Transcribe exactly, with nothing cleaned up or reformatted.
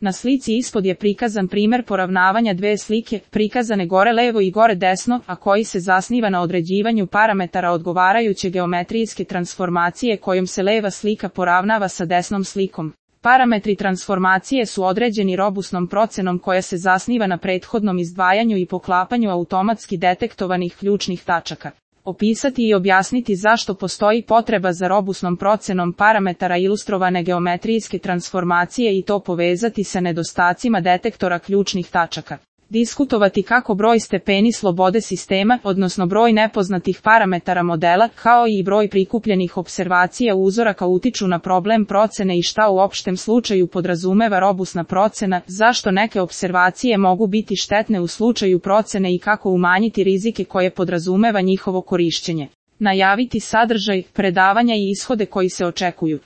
Na slici ispod je prikazan primjer poravnavanja dve slike, prikazane gore levo i gore desno, a koji se zasniva na određivanju parametara odgovarajuće geometrijske transformacije kojom se leva slika poravnava sa desnom slikom. Parametri transformacije su određeni robusnom procenom koja se zasniva na prethodnom izdvajanju i poklapanju automatski detektovanih ključnih tačaka. Opisati i objasniti zašto postoji potreba za robusnom procenom parametara ilustrovane geometrijske transformacije i to povezati sa nedostacima detektora ključnih tačaka. Diskutovati kako broj stepeni slobode sistema, odnosno broj nepoznatih parametara modela, kao i broj prikupljenih observacija uzoraka utiču na problem procene i šta u opštem slučaju podrazumeva robusna procena, zašto neke observacije mogu biti štetne u slučaju procene i kako umanjiti rizike koje podrazumeva njihovo korišćenje. Najaviti sadržaj, predavanja i ishode koji se očekuju.